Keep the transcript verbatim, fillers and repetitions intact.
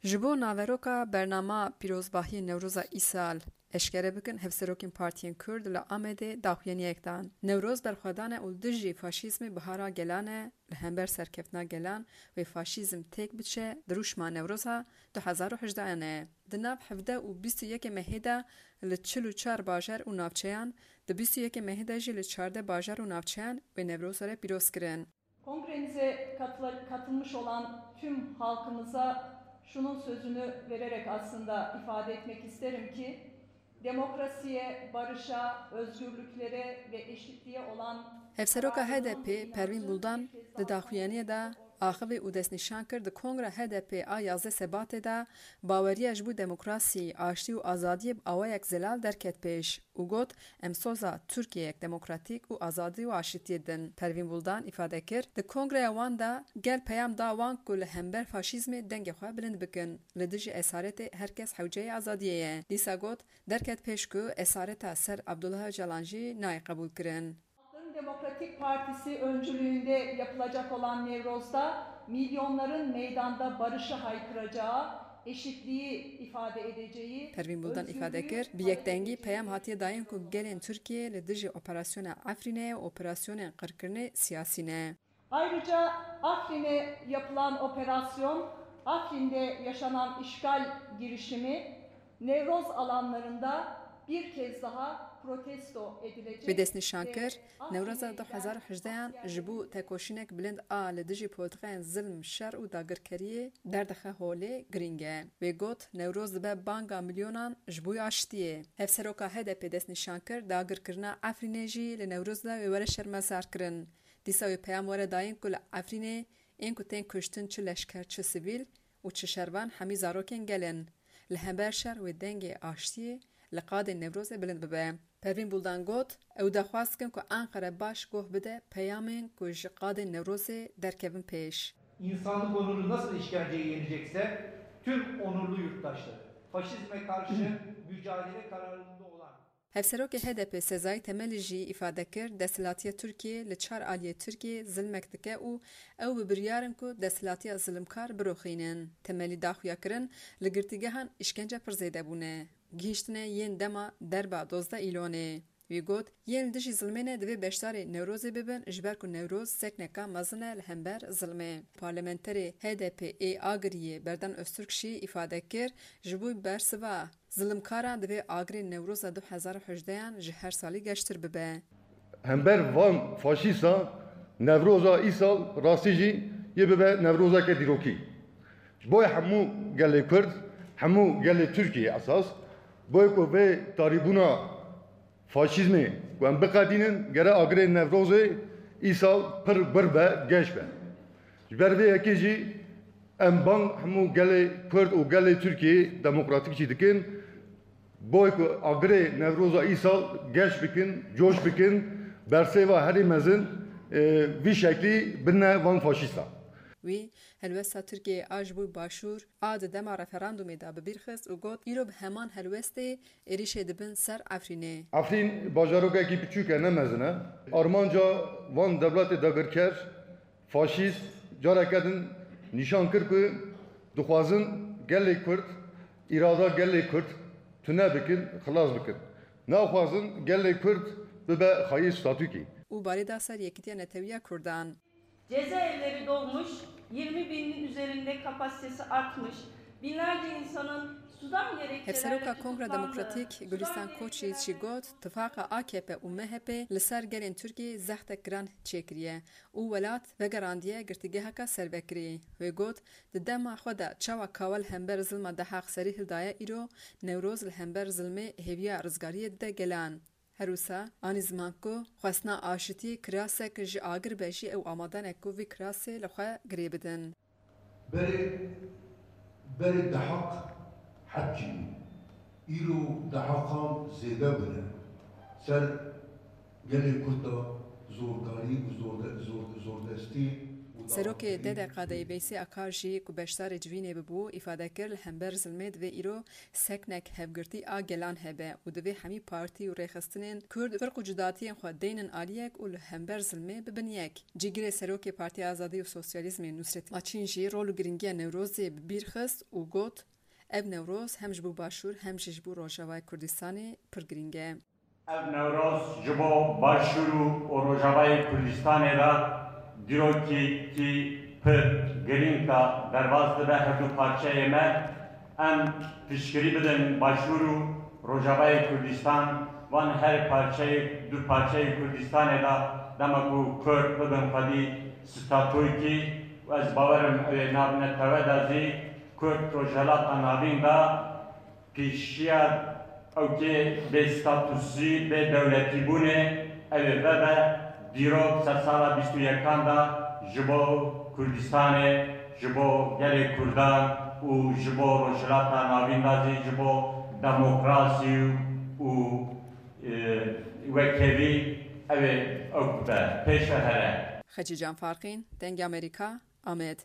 Ji bo naveroka bernama pîrozbahiyê Newroza îsal eşkere bikin, hevserokên partiyên Kurd li Amedê daxuyaniyek dan. Newroz berxwedan e û dijî faşîzmê bihara gelan e, li hember serkeftina gelan wê faşîzm têk biçe, di rûşma Newroza du hezar û hejdehan e. Di nav hevdeh û bîst û yekê mehê de li çil û çar bajar û navçeyan, di bîst û yekê mehê de jî li çardeh bajar û navçeyan wê Newroza re pîroz kirin. Kongremize katıla-, katılmış olan tüm halkımıza şunun sözünü vererek aslında ifade etmek isterim ki, demokrasiye, barışa, özgürlüklere ve eşitliğe olan Hevseroka H D P Pervîn Buldan di daxuyaniyê de axivî û destnîşan kir, di Kongra H D P a yazdeh Sebatê de baweriya ji bo demokrasî, aştî û azadiyê bi awayek zelal derket pêş û got, Em soza Tirkiyeyek demokratîk û azadî û aşitiyê din. Pervîn Buldan îfade kir, di kongreya wan de gel peyam da wan ku li hember faşîzmê dengê xwe bilind bikin. Li dijî esaretê her kes hewceyê azadiyê ye. Dîsa got, derket pêş ku esareta ser Abdullah Ocalan jî nayê qebûlkirin. Halkların Demokratik Partisi öncülüğünde yapılacak olan Nevroz'da milyonların meydanda barışı haykıracağı, eşitliği ifade edeceği, Pervîn Buldan îfade kir, bi yekdengî peyam hatiye dayîn ku gelên Tirkiyê li dijî operasyona Efrînê û operasyonên qirkirinê siyasî ne. Ayrıca Afrin'e yapılan operasyon, Afrin'de yaşanan işgal girişimi, Nevroz alanlarında bir kez daha protesto edilecek. Wê destnîşan kir, Newroza du hezar û hejdehan ji bo tekoşînek bilind a li dijî politiqayên zilm, şer û dagirkeriyê derdixe holê girîng e. Wê got, Newroz dibe banga milyonan ji bo aştiyê. Hevseroka H D P destnîşan kir, dagirkirina Efrînê jî li Newroz de wê were şermezarkirin. Dîsa wê peyam were dayîn ku li Efrînê ên ku tên kuştin çi leşker, çi sivîl û çi şervan hemî zarokên gel in. Li hember şer wê dengê aştiyê li qadên Newrozê bilind bibe. Pervîn Buldan got, Ew daxwaz dikin ku Enqere baş goh bide peyamên ku ji qadên Newrozê derkevin pêş. İnsanlık onuru nasıl işkenceye yenecekse tüm onurlu yurttaşları, faşizme karşı mücadele kararında olan Hevserokê H D P Sezai Temeli jî îfade kir, desthilatiya Tirkiyê li çar aliyê Tirkiyê zilmek dike û ew bi biryar in ku desthilatiya zilimkar biroxînin. Temelî daxuya kirin, li girtîgehan îşkence pir zêde bûne. Gihîştine yên dema derba dozdeh Îlonê. Wî got, yên li dijî zilmê ne divê beşdarê Newrozê bibin, ji ber ku Newroz sekneka mezin e li hember zilmê. Parlamenterê H D P ê Agiriyê Berdan Öztürk jî îfade kir, ji bo bersiva zilimkaran divê agirê Newroza du hezar û hejdehan ji her salî geştir bibe. Hember van faşîsta Newroza îsal rastî jî yê bibe Newrozeke dîrokî. Ji bo hemû gelê Kurd, hemû gelê Tirkiyê esas, bo ku vê tarîbûna faşîzmê ku em biqedînin, gere agirê Newrozê îsal pir bir be, geş be. Ji ber vê yekê jî em bang hemû gelê Kurd û gelê Tirkiyê demokratîk jî dikin. Boy ku agirê Newroza îsal geş bikin, coş bikin, bersêva herî mezin, e, vî şeklî bine van faşîsta. Wî helwesta Tirkiyeyê a ji bo Başûr a di dema referandumê de bi bîr xist û got, Îro bi heman helwestê êrîşê dibin ser Efrînê. Efrîn bajarokekî biçûk e, ne mezin e. Armanca van dewletê dagirker, faşîst, careke din nîşan kir ku dixwazin gelê Kurd, îrada gelê Kurd tune bikin, xilas bikin. Naxwazin gelê Kurd bibe xayî statûkî. Û barê da ser Yekîtiya Netewiya Kurdan. Cezaevleri dolmuş, yirmi binin üzerinde kapasitesi artmış, binlerce insanın sudan gerekçelerle Hevseroka Kongra tutuklandığı, Demokratîk Gulistan Koçî jî got, tifaqa A K P û M H P li ser gelên Tirkiyê zehtek giran çêkiriye û welat vegerandiye girtîgeheka serbekirî. Wê got, di dema xwe de çawa kawa li hember zilma Dehaq serî hildaye, îro Newroz li hember zilmê hêviya rizgariyê dide gelan. Her wisa anî ziman ku xwestina aşitiyê kirasek ji agir be jî ew amade ne ku vî kirasê li xwe girê bidin. Berê, berê Dehaq hepkî bû. Îro Dehakan zêde bûne. Ser gelê Kurd de zordarî û zorde-, zor-, zordestî û Serokê D D K D'yê Veysê Akar jî ku beşdarê civînê bibû, îfade kir, li hember zilmê divê îro seknek hevgirtî a gelan hebe û divê hemî partî û rêxistinên Kurd firq û cudatiyên xwe deynin aliyek û li hember zilmê bibin yek. Cîgirê Serokê Partiya Azadî û Sosyalîzmê Nusret Laçîn jî rol û girîngiya Newrozê bi bîr xist û got, ev Newroz hem ji bo Başûr hem jî ji bo Rojavayê Kurdistanê pir girîng e. Ev Newroz ji bo Başûr û, û Rojavayê Kurdistanê de dîrokî pir girîng de derbas dibe her du parçeyê me. Em piştgirî bidin Başûr û Rojavayê Kurdistan, van her parçeyê, du parçeyê Kurdistanê de dema ku Kurd bibin xwedî statoykî û ez bawer im ew ê nav netewe de zî Kurd Rojhilata Navîn de pêşiya ewkê bê statusî, bê dewletîbûnê ew ê vebe dîrok sedsala bîst û yekan de ji bo Kurdistanê, ji bo gelê Kurdan û ji bo Rojhilata Navîn de zî ji bo demokrasî û, e, wekhevî ew ê ew be pêş ve here. Xecîcan Farqîn, Dengê Amerîka, Amed.